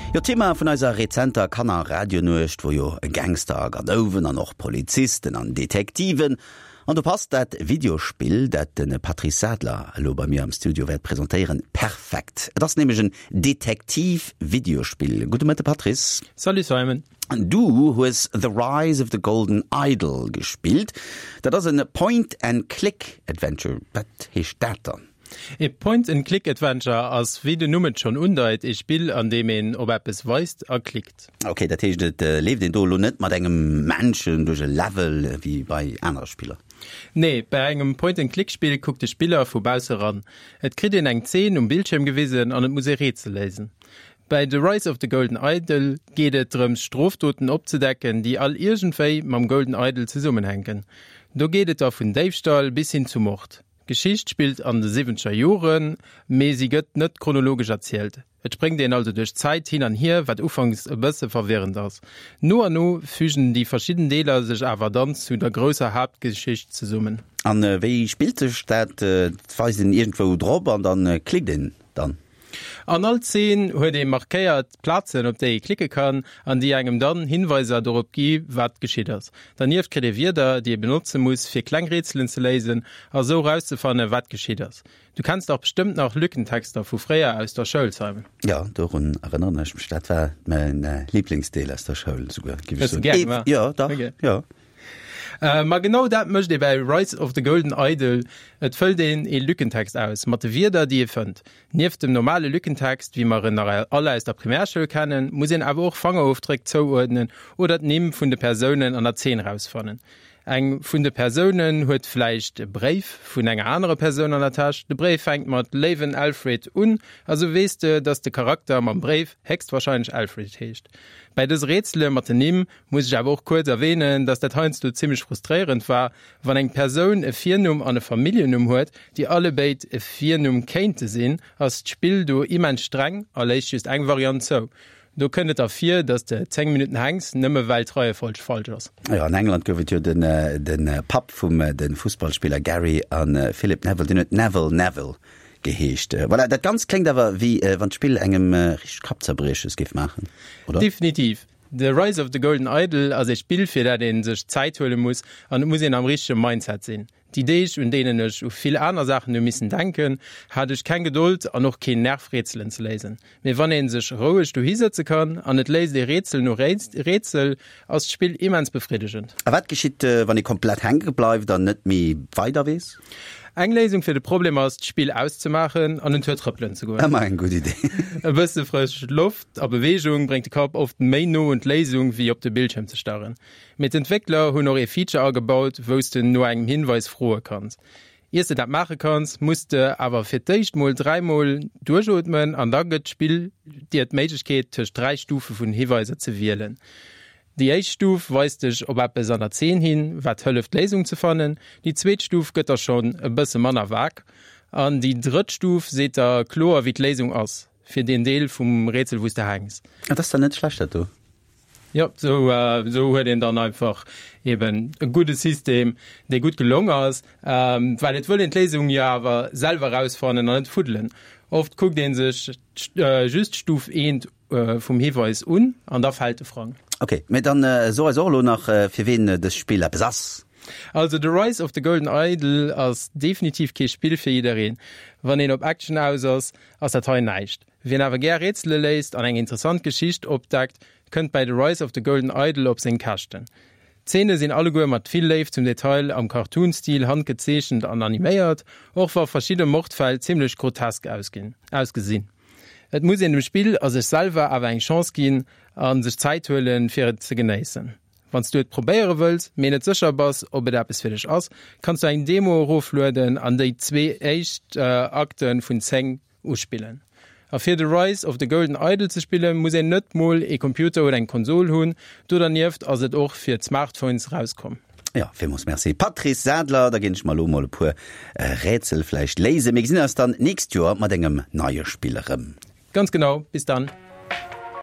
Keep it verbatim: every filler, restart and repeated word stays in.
Jo, Thema vun eiser rezenter Kanner-Radionuecht wor jo Gangster a Gadouwen an och Polizisten an Detektiven. An do passt dat Videospill, dat de Patrice Sadler elo bei mir am Studio wäert presentéieren, perfekt. Et ass nämlech en Detektiv-Videospill. Gudde Mëtte Patrice. Salut Simon. Du hues The Rise of the Golden Idol gespillt. Dat ass en Point-and-Click-Adventure. Wat heescht dat dann? E Point-and-Click-Adventure ass, wéi den Numm et schonn undeit, e Spill, an deem een op eppes weist a klickt. Ok, dat heescht et leeft een do elo net mat engem Männchen duerch e Level wéi bei anere Spiller? Nee, bei engem Point-and-Click-Spill kuckt de Spiller vu bausse ran. Et kritt een eng Zeen um Bildschierm gewisen an et muss ee Rätsel léisen. Bei The Rise of the Golden Idol geet et drëms Strofdoten opzedecken, déi all iergendwéi mam Golden Idol zesummenhänken. Do geet et da vun Déifstall bis hin zu Mord. D'Geschicht spillt an de siwwenzeger Joren, mee si gëtt net chronologesch erzielt. Et spréngt een also duerch d'Zäit hin an hier, wat ufanks e bësse verwirrend ass. No an no fügen déi verschidden Deeler sech awer dann zu der grousser Haaptgeschicht zesummen. An wéi spillt sech dat? Et weist een iergendwou drop an dann klickt een dann? An all Zeen huet ee markéiert Plazen, op déi ee klicke kann an déi engem dann Hinweiser dorop gi wat geschitt ass. Dernieft kritt ee Wierder, déi ee benotze muss, fir kleng Rätselen ze léisen a sou rauszefanne wat geschitt ass. Du kenns dach bestëmmt nach Lückentexter vu fréier aus der Schoul, Simon? Jo, dorun erënneren ech mech. Dat war mäin Liblingsdeel aus der Schoul esouguer, géif ech soen. Hues de gär gemaach? Jo, dach, jo. Ma genau dat mécht ee bäi Rise of the Golden Idol, Et fëllt een ee Lückentext aus mat de Wierder, déi ee fënnt. Nieft dem normale Lückentext, wéi mer en nach all aus der Primärschoul kennen, muss een awer och Fangerofdréck zouuerdnen oder d'Nimm vun de Persounen an der Zeen erausfannen. Eng vun de Persounen huet vläicht e Bréif vun enger anerer Persoun an der Täsch. De Bréif fänkt mat Léiwen Alfred un a sou weess de, dass de Charakter mam Bréif héchstwarscheinlech Alfred heescht. Bäi dëse Rätsele mat den Nimm muss ech awer och kuerz erwähnen, dass dat heiansdo zimmlech frustréierend war, wann eng Persoun e Virnumm an e Familljennumm huet, déi allebéid e Virnumm kéinte sinn, ass d'Spill do immens streng a léisst just eng Variant zou. Do kënnt et da vir, dass de zéng Minutten hänks, nëmme well d'Reiefolg falsch ass. Jo, an England gouf et jo den de Papp vum de Fussballspiller Gary a Philip Neville, deen huet Neville Neville geheescht. Voilà, dat Ganzt kléngt awer wéi wann d'Spill engem richteg Kappzerbrieches géif maachen, oder? Definitiv. The Rise of the Golden Idol ass ee Spill fir dat ee sech Zäit huele muss an et muss een am richtege Mindset sinn. Déi Deeg un deenen ech u vill aner Saachen hu missen denken, hat ech keng Gedold an och keen Nerv Rätselen ze léisen. Mee wann ee sech roueg dohi sëtze kann an et léist ee Rätsel no Rätsel, ass d'Spill immens befriddegend. A wat geschitt wann ee komplett hänke bleift an net méi weider weess? Eng Léisung fir de Problem ass, d'Spill auszemaachen an en Tour trëppelen ze goen. Ëmmer eng gutt Idee. E bësse frësch Loft a Beweegung bréngt de Kapp oft méi no un d'Léisung, wéi op de Bildschierm ze starren. Mee d'Entwéckler hunn och ee Feature agebaut, wou s de no engem Hinweis froe kanns. Iers de dat maache kanns, muss de awer fir d'éischt mol dräi mol duerchootmen an da gëtt d'Spill dir d'Méiglechkeet, tëscht dräi Stufe vun Hiweiser ze wielen. Déi éischt Stuf weist dech op eppes an der Zeen hin, wat hëlleft d'Léisung ze fannen. Déi zweet Stuf gëtt der schonn e bësse manner vag. An déi drëtt Stuf seet der kloer wéi d'Léisung ass fir deen Deel vum Rätsel wou s de hänks. Dat ass dann net schlecht dat do. Jo, sou sou huet een dann einfach eben e gudde System, dee gutt gelong ass, well et wëll een d'Léisung jo awer selwer erausfannen an net fuddelen. Oft kuckt ee sech just Stuf eent vum Hiweis un an da fält de Frang. Ok, mee dann so eis och elo nach fir ween dëst Spill eppes ass. Also The Rise of the Golden Idol ass definitiv kee Spill fir jiddereen. Wann een op Action aus ass, ass dat hei näischt. Wien awer gär Rätsele léist an eng interessant Geschicht opdeckt, kënnt bäi The Rise of the Golden Idol op seng Käschten. D'Zeene sinn alleguer mat vill Léift zum Detail am Cartoon-Stil handgezeechent an animéiert, och wa verschidde Mordfäll zimmlech grotesk ausgesinn. Et muss een dem Spill a sech selwer awer eng Chance ginn a sech Zäit huelen, fir et ze genéissen. Wann s du et probéiere wëlls, mee net sécher bass, ob et eppes fir dech ass, kanns du eng Demo eroflueden an déi zwee éischt Akte vun zéng uspillen. A fir The Rise of the Golden Idol ze spillen, muss een net mol ee Computer oder eng Konsol hunn. Do dernieft ass et och fir d'Smartphones rauskomm. Jo, villmools Merci Patrice Sadler. Da ginn ech mer elo mol e puer Rätsel vläicht léisen. Mir gesinn eis dann d'nächst Joer mat engem neie Spill erëm. Ganz genau, bis dann.